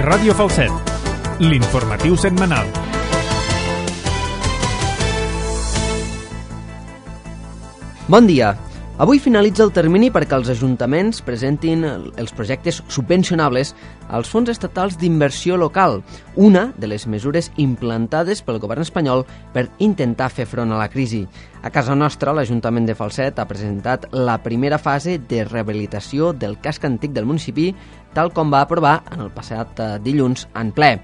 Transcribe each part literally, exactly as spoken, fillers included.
Ràdio Falset, l'informatiu setmanal. Bon dia. Avui finalitza el termini perquè els ajuntaments presentin els projectes subvencionables als fons estatals d'inversió local, una de les mesures implantades pel govern espanyol per intentar fer front a la crisi. A casa nostra, l'Ajuntament de Falset ha presentat la primera fase de rehabilitació del casc antic del municipi, tal com va aprovar en el passat dilluns en ple.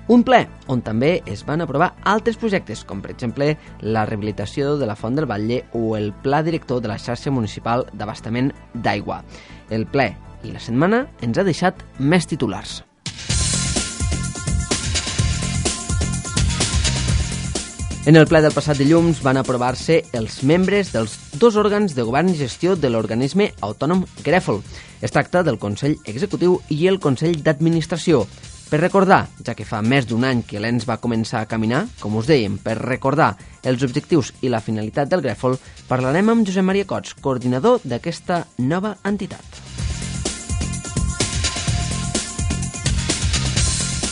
Un ple on també es van aprovar altres projectes, com per exemple la rehabilitació de la Font del Batlle o el Pla Director de la xarxa municipal d'abastament d'aigua. El ple i la setmana ens ha deixat més titulars. En el ple del passat dilluns van aprovar-se els membres dels dos òrgans de govern i gestió de l'organisme autònom Grèfol. Es tracta del Consell Executiu i el Consell d'Administració. Per recordar, ja que fa més d'un any que l'ens va començar a caminar, com us dèiem, per recordar els objectius i la finalitat del Grèfol, parlarem amb Josep Maria Cots, coordinador d'aquesta nova entitat.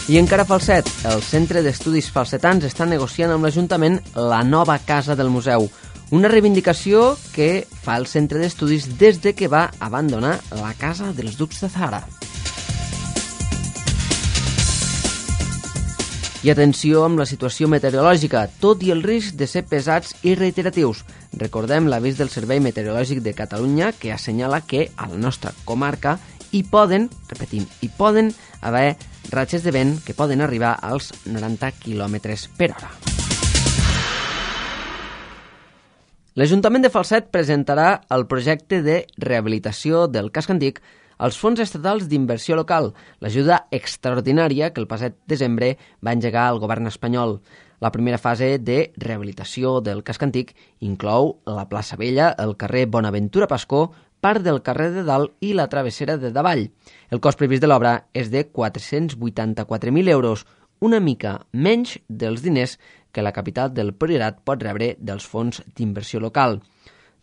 I encara a Falset, el Centre d'Estudis Falsetans està negociant amb l'Ajuntament la nova casa del museu, una reivindicació que fa el Centre d'Estudis des de que va abandonar la casa dels Ducs de Zahara. I atenció amb la situació meteorològica, tot i el risc de ser pesats i reiteratius. Recordem l'avís del Servei Meteorològic de Catalunya que assenyala que a la nostra comarca hi poden, repetim, hi poden haver ratxes de vent que poden arribar als noranta quilòmetres per hora. L'Ajuntament de Falset presentarà el projecte de rehabilitació del casc antic als fons estatals d'inversió local, l'ajuda extraordinària que el passat desembre va engegar el govern espanyol. La primera fase de rehabilitació del casc antic inclou la plaça Vella, el carrer Bonaventura Pascó, part del carrer de Dalt i la travessera de Davall. El cost previst de l'obra és de quatre-cents vuitanta-quatre mil euros, una mica menys dels diners que la capital del Priorat pot rebre dels fons d'inversió local.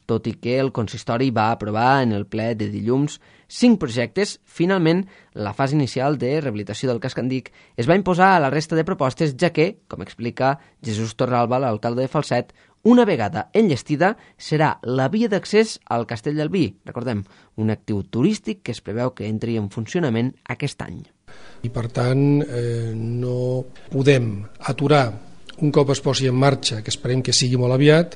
Tot i que el consistori va aprovar en el ple de dilluns cinc projectes, finalment la fase inicial de rehabilitació del casc antic es va imposar a la resta de propostes, ja que, com explica Jesús Torralba, l'alcalde de Falset, una vegada enllestida serà la via d'accés al Castell del Vi, recordem, un actiu turístic que es preveu que entri en funcionament aquest any. I per tant eh, no podem aturar un cop es posi en marxa, que esperem que sigui molt aviat,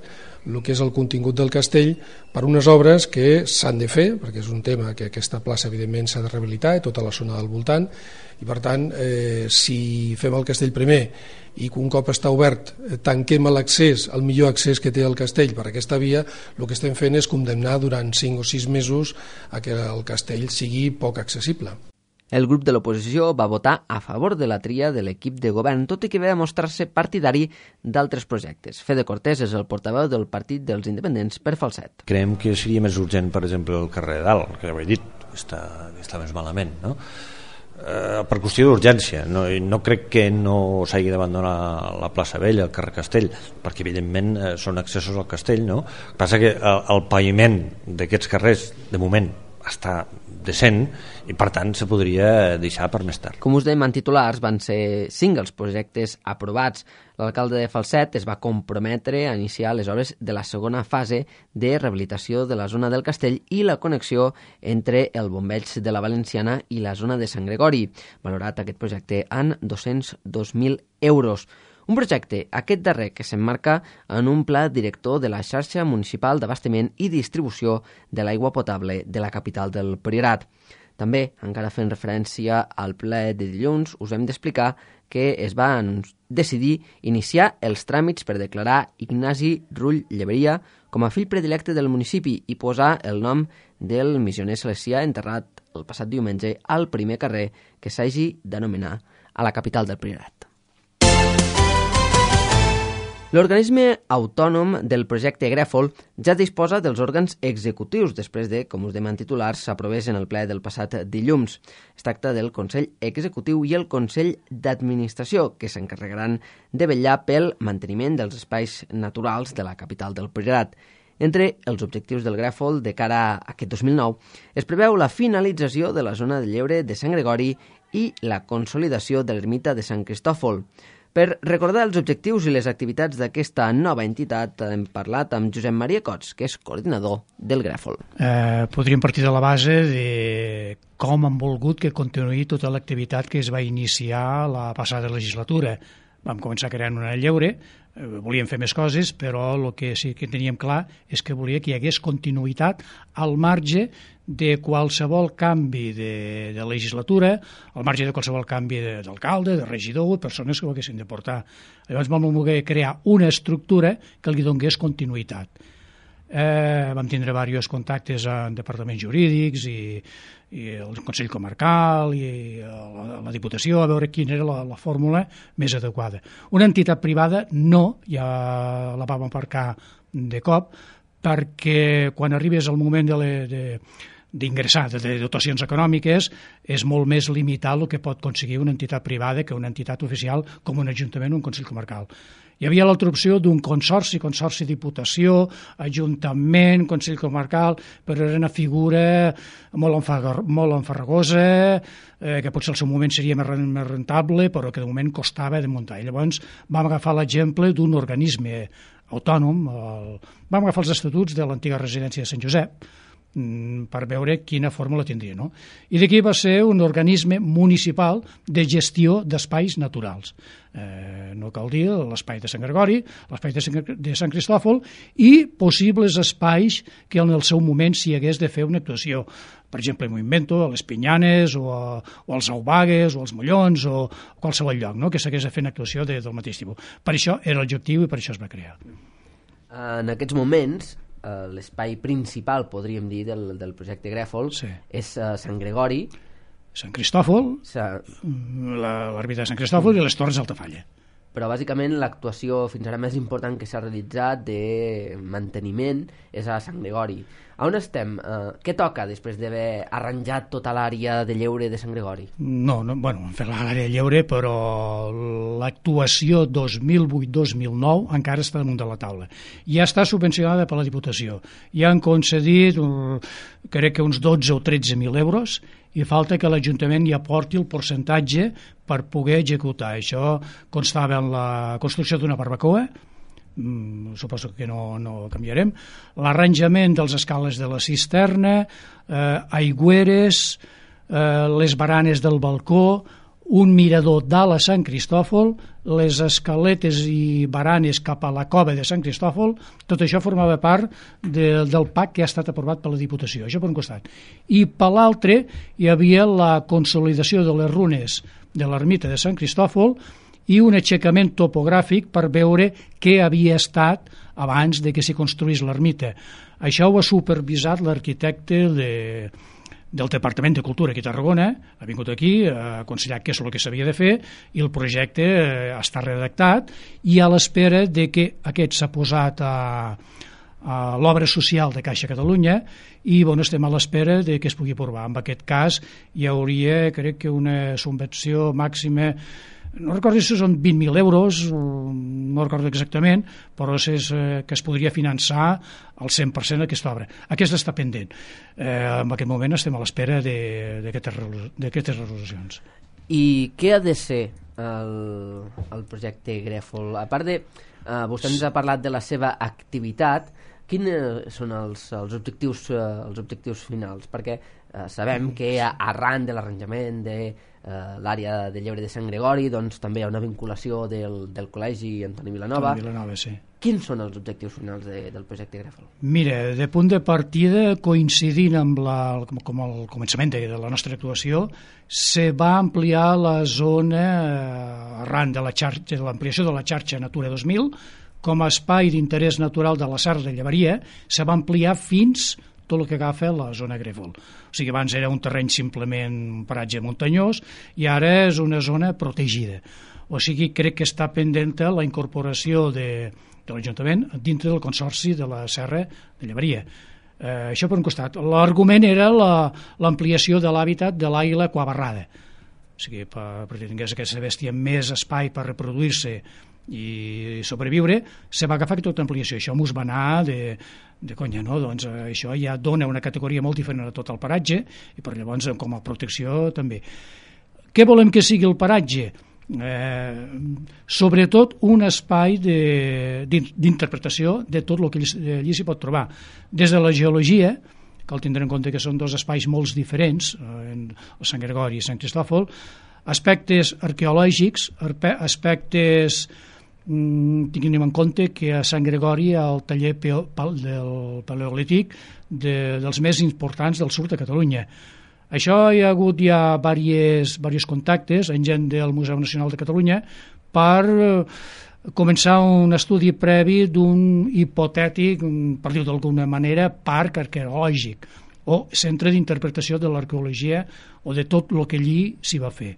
el que és el contingut del castell per unes obres que s'han de fer, perquè és un tema que aquesta plaça evidentment s'ha de rehabilitar, tota la zona del voltant, i per tant eh, si fem el castell primer i que un cop està obert eh, tanquem l'accés, el millor accés que té el castell per aquesta via, el que estem fent és condemnar durant cinc o sis mesos a que el castell sigui poc accessible. El grup de l'oposició va votar a favor de la tria de l'equip de govern, tot i que va mostrar-se partidari d'altres projectes. Fede Cortés és el portaveu del Partit dels Independents per Falset. Creiem que seria més urgent, per exemple, el carrer de Dalt, que ja ho he dit, està, està més malament, no? Eh, per qüestió d'urgència. No, no crec que no s'hagi d'abandonar la plaça Vella, el carrer Castell, perquè evidentment eh, són accessos al castell, no? El que passa que el, el paviment d'aquests carrers, de moment, està decent i per tant se podria deixar per més tard. Com us dèiem, en titulars van ser cinc els projectes aprovats. L'alcalde de Falset es va comprometre a iniciar les obres de la segona fase de rehabilitació de la zona del castell i la connexió entre el bombeig de la Valenciana i la zona de Sant Gregori, valorat aquest projecte en dos-cents dos mil euros. Un projecte, aquest darrer, que s'emmarca en un pla director de la xarxa municipal d'abastament i distribució de l'aigua potable de la capital del Priorat. També, encara fent referència al ple de dilluns, us hem d'explicar que es va decidir iniciar els tràmits per declarar Ignasi Rull Lleberia com a fill predilecte del municipi i posar el nom del missioner salesià enterrat el passat diumenge al primer carrer que s'hagi d'anomenar a la capital del Priorat. L'organisme autònom del projecte Grèfol ja disposa dels òrgans executius després de, com us dèiem en titulars, s'aprovés en el ple del passat dilluns. Es tracta del Consell Executiu i el Consell d'Administració, que s'encarregaran de vetllar pel manteniment dels espais naturals de la capital del Priorat. Entre els objectius del Grèfol de cara a aquest dos mil nou es preveu la finalització de la zona de lleure de Sant Gregori i la consolidació de l'ermita de Sant Cristòfol. Per recordar els objectius i les activitats d'aquesta nova entitat hem parlat amb Josep Maria Cots, que és coordinador del Grèfol. Eh, podríem partir de la base de com han volgut que continuï tota l'activitat que es va iniciar la passada legislatura. Vam començar creant una lleure, eh, volíem fer més coses, però el que sí que teníem clar és que volia que hi hagués continuïtat al marge de qualsevol canvi de, de legislatura, al marge de qualsevol canvi d'alcalde, de regidor, persones que ho haguessin de portar. Llavors vam voler crear una estructura que li donés continuïtat. Eh, vam tindre diversos contactes en departaments jurídics i, i el Consell Comarcal i la, la Diputació a veure quina era la, la fórmula més adequada. Una entitat privada no, ja la vam aparcar de cop, perquè quan arribes al moment de, le, de d'ingressar de dotacions econòmiques és molt més limitat el que pot aconseguir una entitat privada que una entitat oficial com un ajuntament o un Consell Comarcal. Hi havia l'altra opció d'un consorci, consorci diputació, ajuntament, Consell Comarcal, però era una figura molt, enfagar, molt enfarragosa, eh, que potser al seu moment seria més rentable, però que de moment costava de muntar. I llavors vam agafar l'exemple d'un organisme autònom, el... vam agafar els estatuts de l'antiga residència de Sant Josep, per veure quina fórmula tindria, no? I d'aquí va ser un organisme municipal de gestió d'espais naturals. Eh, no cal dir l'espai de Sant Gregori, l'espai de Sant, de Sant Cristòfol i possibles espais que en el seu moment s'hi hagués de fer una actuació. Per exemple, m'ho invento, a les Pinyanes o, a, o als Aubagues o als Mollons o a qualsevol lloc, no? Que s'hagués de fer una actuació de, del mateix tipus. Per això era l'objectiu i per això es va crear. En aquests moments, l'espai principal, podríem dir, del, del projecte Grèfol, sí, és uh, Sant Gregori, Sant Cristòfol, Sa... l'ermita de Sant Cristòfol mm. i les Torres d'Altafalla. Però bàsicament l'actuació fins ara més important que s'ha realitzat de manteniment és a Sant Gregori. A on estem? Uh, què toca després d'haver arranjat tota l'àrea de lleure de Sant Gregori? No, no, bueno, hem fet l'àrea de lleure, però l'actuació dos mil vuit dos mil nou encara està damunt de la taula. Ja està subvencionada per la Diputació. Ja han concedit, crec que uns dotze o tretze mil euros, i falta que l'Ajuntament hi aporti el percentatge per poder executar. Això constava en la construcció d'una barbacoa, mm, suposo que no, no canviarem, l'arranjament dels escales de la cisterna, eh, aigüeres, eh, les baranes del balcó, un mirador dalt a Sant Cristòfol, les escaletes i baranes cap a la cova de Sant Cristòfol, tot això formava part de, del P A C que ha estat aprovat per la Diputació, això per un costat. I per l'altre hi havia la consolidació de les runes de l'ermita de Sant Cristòfol i un aixecament topogràfic per veure què havia estat abans de que s'hi construís l'ermita. Això ho ha supervisat l'arquitecte de... del Departament de Cultura aquí a Tarragona, ha vingut aquí, ha aconsellat què és el que s'havia de fer i el projecte està redactat i a l'espera de que aquest s'ha posat a, a l'obra social de Caixa Catalunya i bueno, estem a l'espera de que es pugui aprovar. En aquest cas hi hauria, crec que una subvenció màxima, no recordo si són vint mil euros, no recordo exactament, però és que es podria finançar al cent per cent aquesta obra. Aquesta està pendent. Eh, en aquest moment estem a l'espera d'aquestes resolucions. I què ha de ser el, el projecte Grèfol? A part de... Eh, vostè ens ha parlat de la seva activitat, quins són els, els, objectius, eh, els objectius finals? Perquè eh, sabem que arran de l'arranjament de Uh, l'àrea de lleure de Sant Gregori, doncs també hi ha una vinculació del, del col·legi Antoni Vilanova. Vilanova, sí. Quins són els objectius finals de, del projecte Grèfol? Mira, de punt de partida, coincidint amb la, com, com el començament de, de la nostra actuació, se va ampliar la zona eh, arran de la xarxa, de l'ampliació de la xarxa Natura dos mil, com a espai d'interès natural de la Serra de Llevaria, se va ampliar fins tot el que agafa la zona Grèfol. O sigui, abans era un terreny simplement un paratge muntanyós i ara és una zona protegida. O sigui, crec que està pendent la incorporació de, de l'Ajuntament dintre del Consorci de la Serra de Llevaria. Eh, això per un costat. L'argument era l'ampliació de l'hàbitat de l'àguila quabarrada. O sigui, per, perquè tingués aquesta bèstia més espai per reproduir-se i sobreviure, se va agafar tota ampliació. Això mos va anar de, de conya, no? Doncs eh, això ja dona una categoria molt diferent a tot el paratge i per llavors com a protecció també. Què volem que sigui el paratge? Eh, sobretot un espai d'interpretació de, de tot el que allí, allí s'hi pot trobar, des de la geologia, cal tindre en compte que són dos espais molt diferents, eh, el Sant Gregori i Sant Cristòfol, aspectes arqueològics, aspectes mm, tinguem en compte que a Sant Gregori el taller peo, del paleolític de, dels més importants del sud de Catalunya. Això hi ha hagut ja diversos, diversos contactes amb gent del Museu Nacional de Catalunya per començar un estudi previ d'un hipotètic, per dir-ho d'alguna manera, parc arqueològic o centre d'interpretació de l'arqueologia o de tot el que allí s'hi va fer.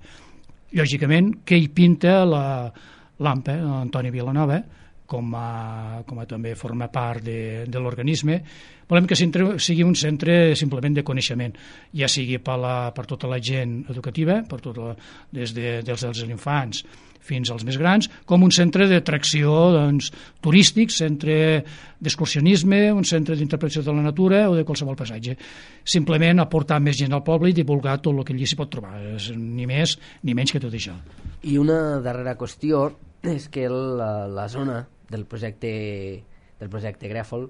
Lògicament, què hi pinta l'A M P E, Antoni Vilanova, com a, com a també forma part de, de l'organisme. Volem que sigui un centre simplement de coneixement, ja sigui per, la, per tota la gent educativa, per tot la, des, de, des dels infants fins als més grans, com un centre d'atracció doncs, turístic, centre d'excursionisme, un centre d'interpretació de la natura o de qualsevol passatge. Simplement aportar més gent al poble i divulgar tot el que allí s'hi pot trobar, ni més ni menys que tot això. I una darrera qüestió és que la, la zona del projecte del projecte Grèfol,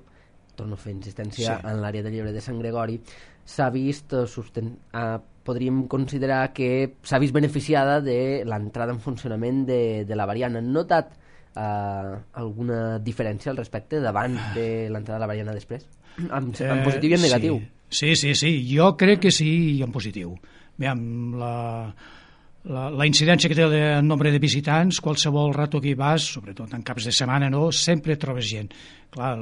torno a fer insistència, sí, en l'àrea de Llebre de Sant Gregori, s'ha vist susten... ah, podríem considerar que s'ha vist beneficiada de l'entrada en funcionament de, de la variant. Han notat uh, alguna diferència al respecte d'abans de l'entrada de la variant després? En, en positiu i en negatiu. Sí, sí, sí, jo crec que sí i en positiu. Aviam, la... La, la incidència que té el nombre de visitants, qualsevol rato que hi vas, sobretot en caps de setmana, no, sempre trobes gent. Clar,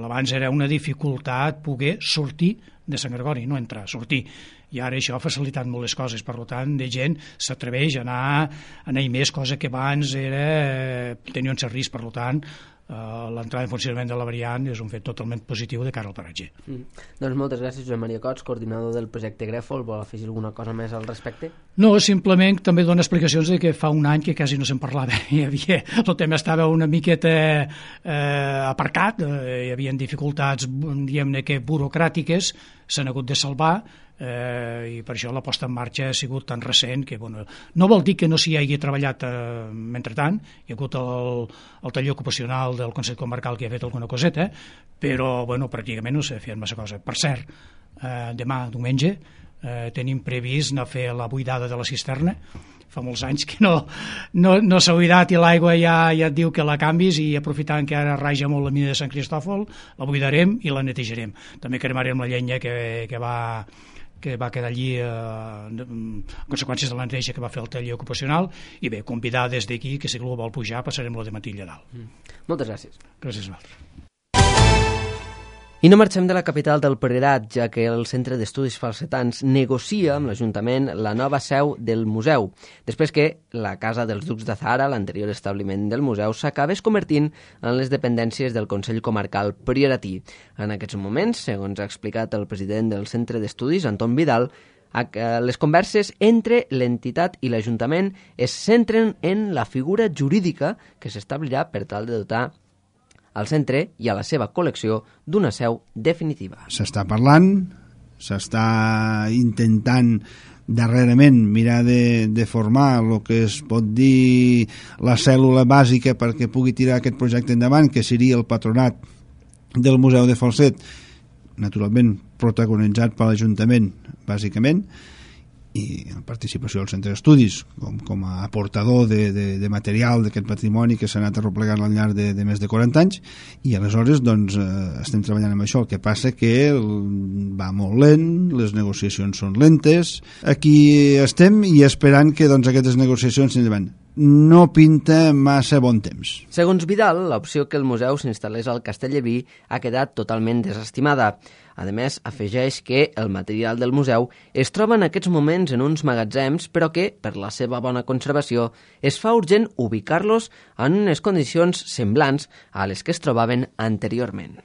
abans era una dificultat poder sortir de Sant Gregori, no entrar, sortir. I ara això ha facilitat molt les coses, per tant, de gent s'atreveix a anar, a anar més, cosa que abans era, tenia un cert risc, per tant, Uh, l'entrada en funcionament de la variant és un fet totalment positiu de cara al paratge. Mm. Doncs moltes gràcies, Joan Maria Cots, coordinador del projecte Grèfol. Vol afegir alguna cosa més al respecte? No, simplement també dona explicacions de que fa un any que quasi no se'n parlava. Hi havia, el tema estava una miqueta eh, aparcat, eh, hi havia dificultats, diguem-ne que burocràtiques, s'han hagut de salvar, eh, i per això la posta en marxa ha sigut tan recent que, bueno, no vol dir que no s'hi hagi treballat eh, mentrestant, hi ha hagut el, el taller ocupacional del Consell Comarcal que ha fet alguna coseta, però, bueno, pràcticament no s'ha fet massa cosa. Per cert, eh, demà, diumenge, eh, tenim previst anar a fer la buidada de la cisterna. Fa molts anys que no, no, no s'ha buidat i l'aigua ja, ja et diu que la canvis, i aprofitant que ara raja molt la mina de Sant Cristòfol, la buidarem i la netejarem. També cremarem la llenya que, que va que va quedar allí eh, en conseqüències de la neteja que va fer el taller ocupacional, i bé, convidar des d'aquí que si algú vol pujar passarem-lo de matí allà dalt. Mm. Moltes gràcies. Gràcies a vosaltres. I no marxem de la capital del Priorat, ja que el Centre d'Estudis Falsetans negocia amb l'Ajuntament la nova seu del museu, després que la Casa dels Ducs de Zahara, l'anterior establiment del museu, s'acabés convertint en les dependències del Consell Comarcal Prioratí. En aquests moments, segons ha explicat el president del Centre d'Estudis, Anton Vidal, les converses entre l'entitat i l'Ajuntament es centren en la figura jurídica que s'establirà per tal de dotar al centre i a la seva col·lecció d'una seu definitiva. S'està parlant, s'està intentant darrerament mirar de, de formar el que es pot dir la cèl·lula bàsica perquè pugui tirar aquest projecte endavant, que seria el patronat del Museu de Falset, naturalment protagonitzat per l'Ajuntament, bàsicament, i la participació del Centre d'Estudis com, com a aportador de, de, de material d'aquest patrimoni que s'ha anat arroplegant al llarg de, de més de quaranta anys, i aleshores doncs eh, estem treballant amb això. El que passa que va molt lent, les negociacions són lentes, aquí estem i esperant que doncs, aquestes negociacions s'endavant. No pinta massa bon temps. Segons Vidal, l'opció que el museu s'instal·lés al Castelleví ha quedat totalment desestimada. A més, afegeix que el material del museu es troba en aquests moments en uns magatzems, però que, per la seva bona conservació, es fa urgent ubicar-los en unes condicions semblants a les que es trobaven anteriorment.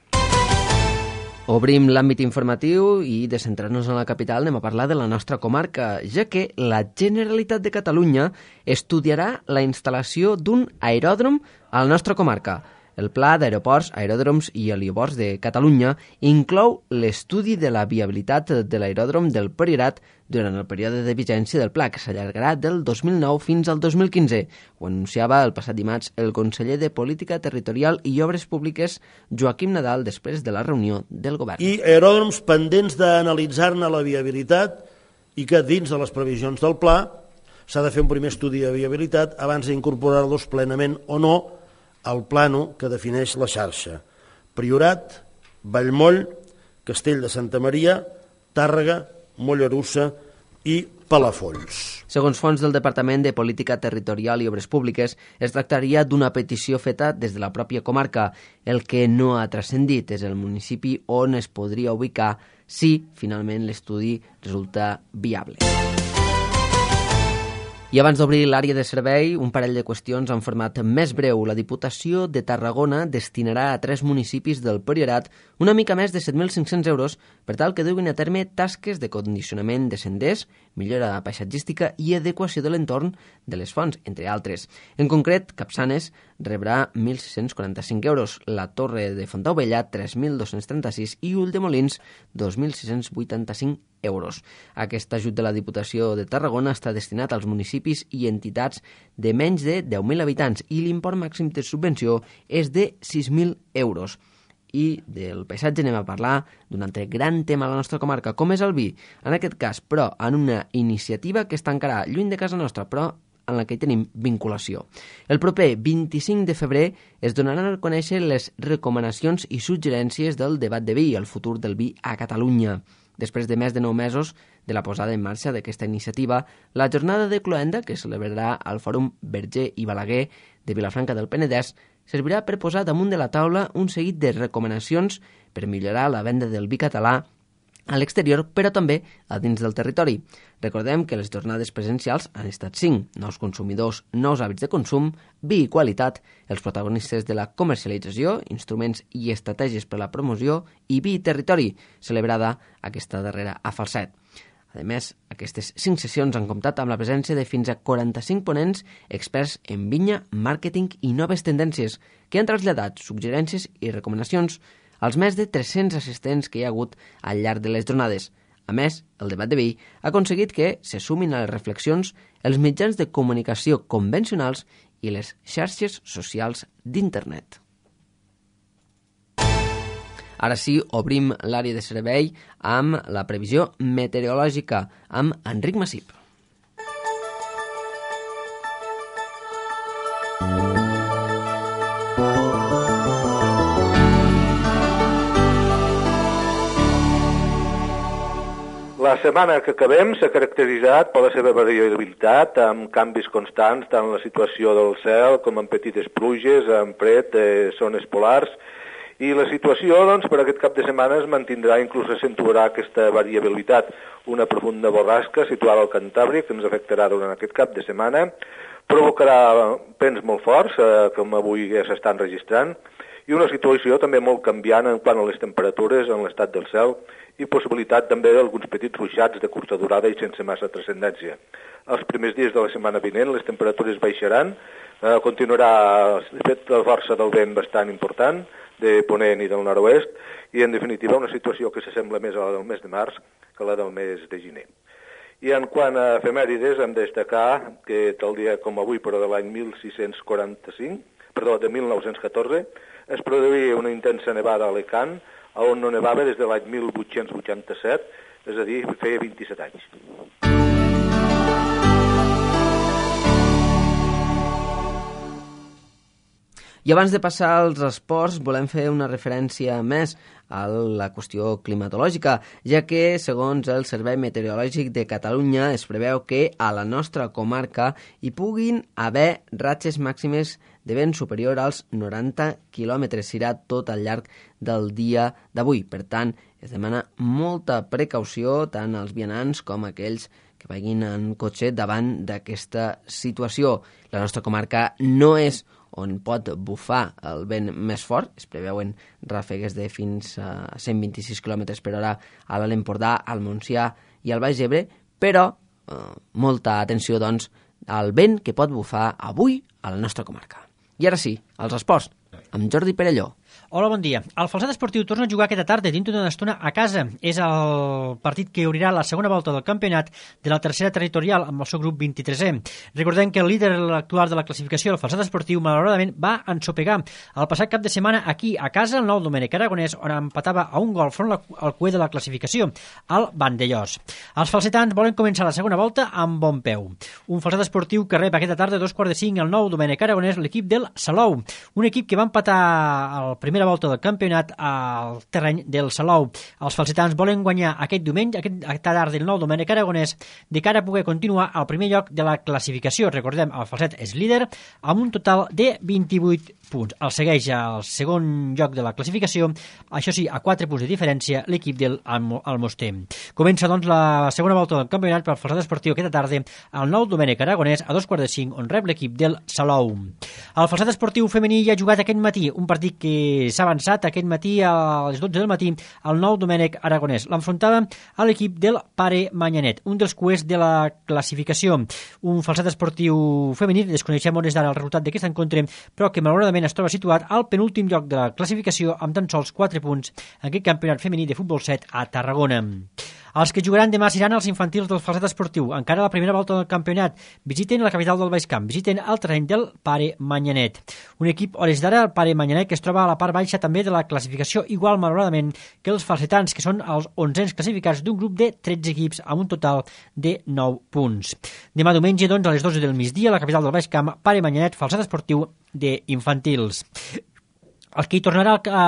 Obrim l'àmbit informatiu i, de centrar-nos en la capital, anem a parlar de la nostra comarca, ja que la Generalitat de Catalunya estudiarà la instal·lació d'un aeròdrom a la nostra comarca. El Pla d'Aeroports, Aeròdroms i Helioports de Catalunya inclou l'estudi de la viabilitat de l'aeròdrom del Priorat durant el període de vigència del pla, que s'allargarà del dos mil nou fins al dos mil quinze. Ho anunciava el passat dimarts el conseller de Política Territorial i Obres Públiques, Joaquim Nadal, després de la reunió del govern. I aeròdroms pendents d'analitzar-ne la viabilitat i que dins de les previsions del pla s'ha de fer un primer estudi de viabilitat abans d'incorporar-los plenament o no al plànol que defineix la xarxa. Priorat, Vallmoll, Castell de Santa Maria, Tàrrega, Mollerussa i Palafolls. Segons fonts del Departament de Política Territorial i Obres Públiques, es tractaria d'una petició feta des de la pròpia comarca. El que no ha transcendit és el municipi on es podria ubicar si finalment l'estudi resulta viable. I abans d'obrir l'àrea de servei, un parell de qüestions en format més breu. La Diputació de Tarragona destinarà a tres municipis del Priorat una mica més de set mil cinc-cents euros per tal que duguin a terme tasques de condicionament de senders, millora paisatgística i adequació de l'entorn de les fonts, entre altres. En concret, Capçanes rebrà mil sis-cents quaranta-cinc euros, la Torre de Fontaubella tres mil dos-cents trenta-sis i Ulldemolins dos mil sis-cents vuitanta-cinc euros. Aquest ajut de la Diputació de Tarragona està destinat als municipis i entitats de menys de deu mil habitants i l'import màxim de subvenció és de sis mil euros. I del paisatge anem a parlar d'un altre gran tema a la nostra comarca, com és el vi. En aquest cas, però, en una iniciativa que està encara lluny de casa nostra, però en la que hi tenim vinculació. El proper vint-i-cinc de febrer es donaran a conèixer les recomanacions i suggerències del debat de vi, el futur del vi a Catalunya. Després de més de nou mesos de la posada en marxa d'aquesta iniciativa, la jornada de cloenda, que es celebrarà al Fòrum Verger i Balaguer de Vilafranca del Penedès, servirà per posar damunt de la taula un seguit de recomanacions per millorar la venda del vi català a l'exterior, però també a dins del territori. Recordem que les jornades presencials han estat cinc: nous consumidors, nous hàbits de consum, vi i qualitat, els protagonistes de la comercialització, instruments i estratègies per a la promoció i vi i territori, celebrada aquesta darrera a Falset. A més, aquestes cinc sessions han comptat amb la presència de fins a quaranta-cinc ponents experts en vinya, màrqueting i noves tendències, que han traslladat suggerències i recomanacions als més de tres-cents assistents que hi ha hagut al llarg de les jornades. A més, el debat de vi ha aconseguit que se sumin a les reflexions els mitjans de comunicació convencionals i les xarxes socials d'internet. Ara sí, obrim l'àrea de servei amb la previsió meteorològica amb Enric Massip. La setmana que acabem s'ha caracteritzat per la seva variabilitat, amb canvis constants tant en la situació del cel com en petites pluges, en fred, eh, zones polars, i la situació, doncs, per aquest cap de setmana es mantindrà, inclús accentuarà aquesta variabilitat. Una profunda borrasca situada al Cantàbric, que ens afectarà durant aquest cap de setmana, provocarà vents molt forts, eh, com avui ja s'estan registrant, i una situació també molt canviant en quant a les temperatures en l'estat del cel i possibilitat també d'alguns petits ruixats de curta durada i sense massa transcendència. Els primers dies de la setmana vinent les temperatures baixaran, eh, continuarà de fet la força del vent bastant important, de ponent i del nord-oest, i en definitiva una situació que s'assembla més a la del mes de març que a la del mes de gener. I en quant a efemèrides hem de destacar que tal dia com avui, però de l'any mil sis-cents quaranta-cinc, perdó, de mil nou-cents catorze, es produïa una intensa nevada a Alacant, on no nevava des de l'any mil vuit-cents vuitanta-set, és a dir, feia vint-i-set anys. I abans de passar als esports, volem fer una referència més a la qüestió climatològica, ja que, segons el Servei Meteorològic de Catalunya, es preveu que a la nostra comarca hi puguin haver ratxes màximes de vent superior als noranta quilòmetres. Serà tot al llarg del dia d'avui. Per tant, es demana molta precaució tant als vianants com aquells que vagin en cotxe davant d'aquesta situació. La nostra comarca no és on pot bufar el vent més fort, es preveuen ràfegues de fins a cent vint-i-sis quilòmetres per hora a l'Alt Empordà, al Montsià i al Baix Ebre, però eh, molta atenció, doncs, al vent que pot bufar avui a la nostra comarca. I ara sí, als esports. amb Jordi Perelló. Hola, bon dia. El Falset Esportiu torna a jugar aquesta tarda dintre d'una estona a casa. És el partit que obrirà la segona volta del campionat de la tercera territorial amb el seu grup vint-i-tresè. Recordem que el líder actual de la classificació, el Falset Esportiu, malauradament va ensopegar el passat cap de setmana aquí a casa, el nou Domènec Aragonès, on empatava a un gol front al cué de la classificació, el Vandellós. Els falsetans volen començar la segona volta amb bon peu. Un Falset Esportiu que rep aquesta tarda a dos quarts de cinc el nou Domènec Aragonès, l'equip del Salou, un equip que va empatar el primera volta del campionat al terreny del Salou. Els falsetans volen guanyar aquest diumenge, aquesta tarda del nou Domènec Aragonès, de cara a poder continuar al primer lloc de la classificació. Recordem, el Falset és líder amb un total de vint-i-vuit punts. El segueix al segon lloc de la classificació, això sí, a quatre punts de diferència, l'equip del Almoster. Comença, doncs, la segona volta del campionat per al Falset Esportiu aquesta tarda al nou Domènec Aragonès a dos quarts de cinc, on rep l'equip del Salou. El Falset Esportiu femení ja ha jugat aquest matí, un partit que s'ha avançat aquest matí a les dotze del matí al nou Domènec Aragonès. L'enfrontava a l'equip del Pare Manyanet, un dels cuers de la classificació. Un Falset Esportiu femení, desconeixem on és d'ara el resultat d'aquest encontre, però que malauradament es troba situat al penúltim lloc de la classificació amb tan sols quatre punts en aquest campionat femení de futbol set a Tarragona. Els que jugaran demà seran els infantils del Falset Esportiu. Encara la primera volta del campionat. Visiten la capital del Baix Camp, visiten el terreny del Pare Manyanet. Un equip, a hores d'ara, el Pare Manyanet, que es troba a la part baixa també de la classificació, igual, malauradament, que els falsetans, que són els onzens classificats d'un grup de tretze equips amb un total de nou punts. Demà diumenge, doncs, a les dotze del migdia, a la capital del Baix Camp, Pare Manyanet, Falset Esportiu d'infantils. El que hi tornarà a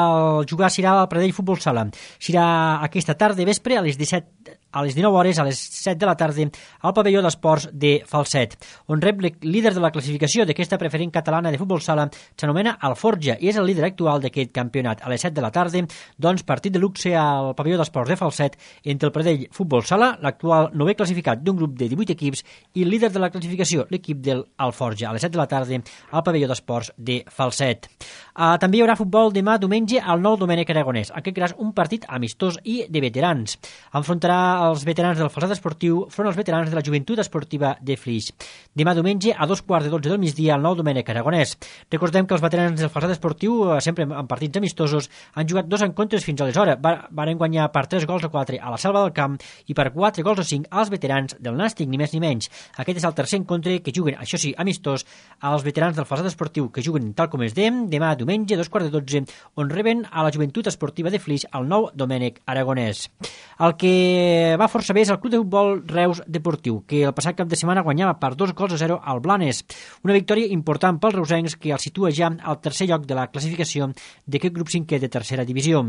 jugar serà el Pradell Futbol Sala. Serà aquesta tarda vespre a les disset a les dinou hores, a les set de la tarda, al pavelló d'esports de Falset, on rep el líder de la classificació d'aquesta preferent catalana de futbol sala, s'anomena Alforja, i és el líder actual d'aquest campionat. A les set de la tarda, doncs, partit de luxe al pavelló d'esports de Falset entre el Pradell Futbol Sala, l'actual novè classificat d'un grup de divuit equips, i el líder de la classificació, l'equip del Alforja, a les set de la tarda, al pavelló d'esports de Falset. Uh, també hi haurà futbol demà diumenge al nou Domènec Aragonès, en aquest cas un partit amistós i de veterans. Enfrontarà els veterans del Falset Esportiu front als veterans de la Joventut Esportiva de Flix. Demà diumenge a dos quarts de dotze del migdia al nou Domènec Aragonès. Recordem que els veterans del Falset Esportiu, sempre en partits amistosos, han jugat dos encontres fins aleshores. Varen guanyar per tres gols a quatre a la Selva del Camp i per quatre gols a cinc als veterans del Nàstic, ni més ni menys. Aquest és el tercer encontre que juguen, això sí, amistós, als veterans del Falset Esportiu, que juguen tal com es dèiem, demà diumenge a dos quarts de dotze, on reben a la Joventut Esportiva de Flix al nou Domènec Aragonès. El que va força bé és el Club de Futbol Reus Deportiu, que el passat cap de setmana guanyava per dos gols a zero al Blanes. Una victòria important pels reusencs, que el situa ja al tercer lloc de la classificació d'aquest grup cinquè de tercera divisió.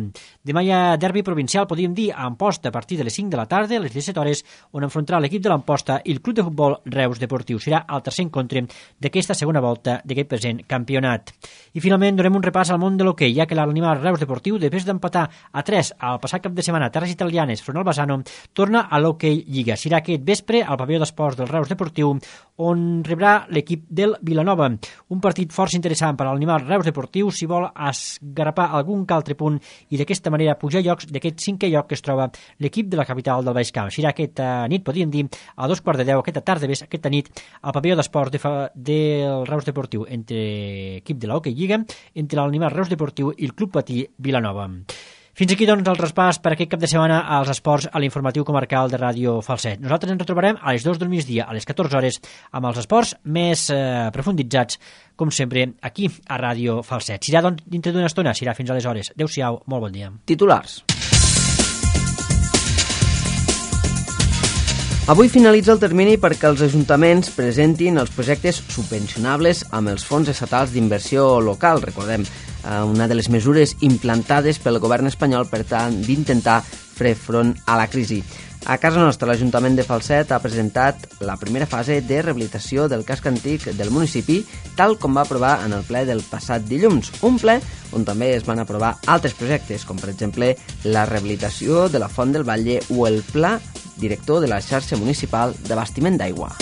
Demà hi ha derbi provincial, podríem dir, a Amposta, a partir de les cinc de la tarda, a les disset hores, on enfrontarà l'equip de l'Amposta i el Club de Futbol Reus Deportiu. Serà el tercer encontre d'aquesta segona volta d'aquest present campionat. I finalment donem un repàs al món de l'hoquei, ja que l'Animal Reus Deportiu, després d'empatar a tres al passat cap de setmana a terres italianes front al Bassano, torna a l'Hockey Lliga. Serà aquest vespre al pavelló d'esports del Reus Deportiu, on rebrà l'equip del Vilanova. Un partit força interessant per a l'Animal Reus Deportiu si vol esgarrapar algun altre punt i d'aquesta manera pujar llocs d'aquest cinquè lloc que es troba l'equip de la capital del Baix Camp. Serà aquesta nit, podríem dir, a dos quarts de deu, aquesta tarda, aquesta nit, al pavelló d'esports de del Reus Deportiu, entre equip de l'Hockey Lliga, entre l'Animal Reus Deportiu i el Club Patí Vilanova. Fins aquí, doncs, el traspàs per aquest cap de setmana als esports a l'informatiu comarcal de Ràdio Falset. Nosaltres ens retrobarem a les dues del migdia, a les catorze hores, amb els esports més eh, profunditzats, com sempre, aquí a Ràdio Falset. Serà, doncs, dintre d'una estona, serà fins aleshores. Adéu-siau, molt bon dia. Titulars. Avui finalitza el termini perquè els ajuntaments presentin els projectes subvencionables amb els fons estatals d'inversió local. Recordem, una de les mesures implantades pel govern espanyol per tant d'intentar fer front a la crisi. A casa nostra, l'Ajuntament de Falset ha presentat la primera fase de rehabilitació del casc antic del municipi, tal com va aprovar en el ple del passat dilluns. Un ple on també es van aprovar altres projectes, com per exemple la rehabilitació de la Font del Batlle o el pla director de la xarxa municipal d'abastiment d'aigua.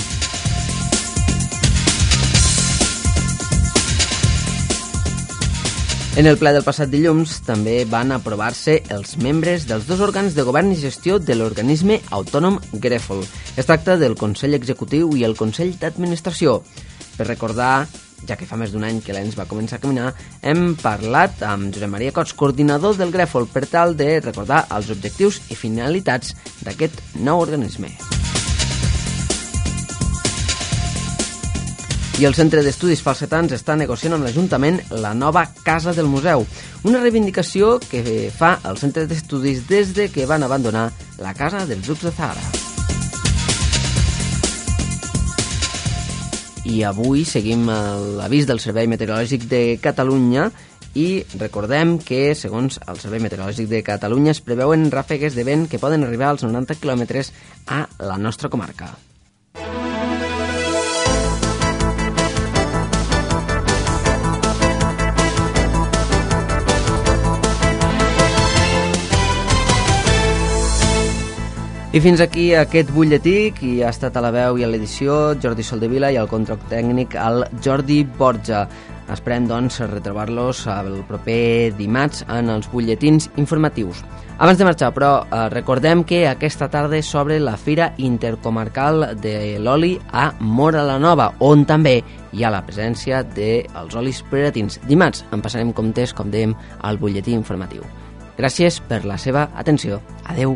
En el ple del passat dilluns també van aprovar-se els membres dels dos òrgans de govern i gestió de l'organisme autònom Grèfol. Es tracta del Consell Executiu i el Consell d'Administració. Per recordar, ja que fa més d'un any que l'E N S va començar a caminar, hem parlat amb Josep Maria Cots, coordinador del Grèfol, per tal de recordar els objectius i finalitats d'aquest nou organisme. I el Centre d'Estudis Falsetans està negociant amb l'Ajuntament la nova Casa del Museu, una reivindicació que fa el Centre d'Estudis des de que van abandonar la Casa dels Ducs de Zahara. I avui seguim l'avís del Servei Meteorològic de Catalunya i recordem que, segons el Servei Meteorològic de Catalunya, es preveuen ràfegues de vent que poden arribar als noranta quilòmetres a la nostra comarca. I fins aquí aquest butlletí, qui ha estat a la veu i a l'edició, Jordi Soldevila, i al control tècnic, el Jordi Borja. Esperem, doncs, retrobar-los el proper dimarts en els butlletins informatius. Abans de marxar, però, eh, recordem que aquesta tarda s'obre la Fira Intercomarcal de l'Oli a Móra la Nova, on també hi ha la presència dels olis preratins. Dimarts en passarem comptes, com dèiem, al butlletí informatiu. Gràcies per la seva atenció. Adeu.